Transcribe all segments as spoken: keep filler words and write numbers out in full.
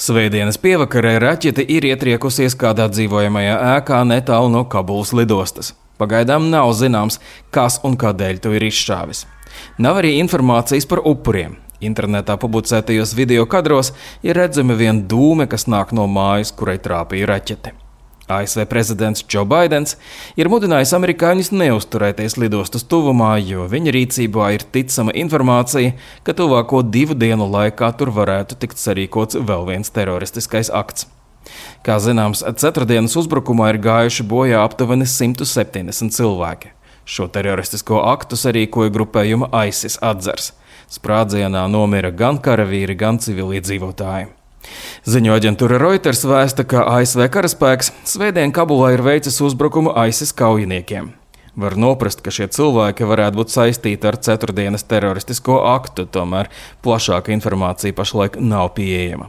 Svētdienas pievakarē raķete ir ietriekusies kādā dzīvojamajā ēkā netālu no Kabulas lidostas. Pagaidām nav zināms, kas un kādēļ to ir izšāvis. Nav arī informācijas par upuriem. Internetā publicētajos video kadros ir redzami vien dūme, kas nāk no mājas, kurai trāpīja raķete. A S V prezidents Džo Baidens ir mudinājis amerikāņus neuzturēties lidostas tuvumā, jo viņa rīcībā ir ticama informācija, ka tuvāko divu dienu laikā tur varētu tikt sarīkots vēl viens teroristiskais akts. Kā zināms, ceturtdienas uzbrukumā ir gājuši bojā aptuveni simt septiņdesmit cilvēki. Šo teroristisko aktu sarīkoja grupējuma ISIS atzars. Sprādzienā nomira gan karavīri, gan civiliedzīvotāji. Ziņu aģentūra Reuters vēsta, ka A S V karaspēks svētdien Kabulā ir veicis uzbrukumu ISIS kaujiniekiem. Var noprast, ka šie cilvēki varētu būt saistīti ar ceturtdienas teroristisko aktu, tomēr plašāka informācija pašlaik nav pieejama.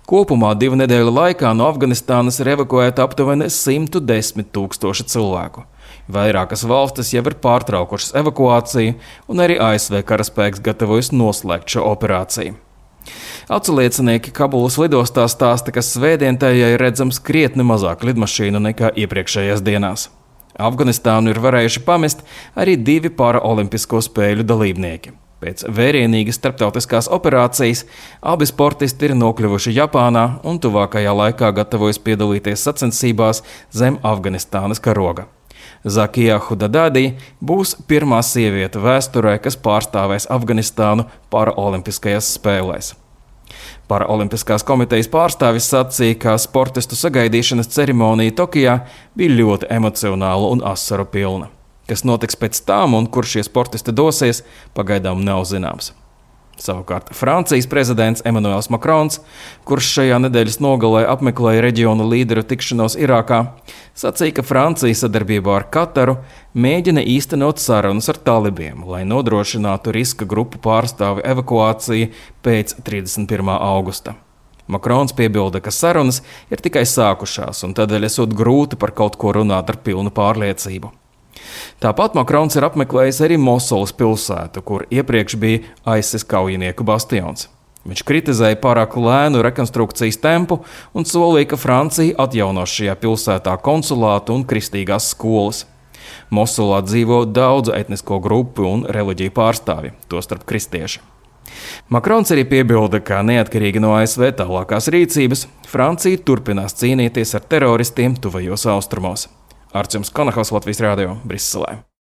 Kopumā divu nedēļu laikā no Afganistānas ir evakuēta aptuveni simt desmit tūkstoši cilvēku. Vairākas valstis jau ir pārtraukušas evakuāciju, un arī A S V karaspēks gatavojas noslēgt šo operāciju. Aculiecinieki Kabulas lidostā stāsta, ka svētdien tajā ir redzams krietni mazāk lidmašīnu nekā iepriekšējās dienās. Afganistānu ir varējuši pamest arī divi paraolimpisko spēļu dalībnieki. Pēc vērienīgas starptautiskās operācijas abi sportisti ir nokļuvuši Japānā un tuvākajā laikā gatavojas piedalīties sacensībās zem Afganistānas karoga. Zakija Hudadadi būs pirmā sieviete vēsturē, kas pārstāvēs Afganistānu paraolimpiskajās spēlēs. Paraolimpiskās komitejas pārstāvis sacīja, ka sportistu sagaidīšanas ceremonija Tokijā bija ļoti emocionāla un asaru pilna. Kas notiks pēc tam un kur šie sportisti dosies, pagaidām nav zināms. Savukārt Francijas prezidents Emmanuels Macrons, kurš šajā nedēļas nogalē apmeklēja reģionu līderu tikšanos Irākā, sacīja, ka Francija sadarbībā ar Kataru mēģina īstenot sarunas ar talibiem, lai nodrošinātu riska grupu pārstāvi evakuāciju pēc trīsdesmit pirmā augusta. Macrons piebilda, ka sarunas ir tikai sākušās un tādēļ esot grūti par kaut ko runāt ar pilnu pārliecību. Tāpat Macrons ir apmeklējis arī Mosulas pilsētu, kur iepriekš bija ISIS kaujinieku bastions. Viņš kritizēja pārāk lēnu rekonstrukcijas tempu un solīja, ka Francija atjaunos šajā pilsētā konsulātu un kristīgās skolas. Mosulā dzīvo daudzu etnisko grupu un reliģiju pārstāvji, tostarp kristieši. Macrons arī piebilda, ka neatkarīgi no A S V tālākās rīcības, Francija turpinās cīnīties ar teroristiem tuvajos austrumos. Arčuns Konahaus, Latvijas radio, Briselē.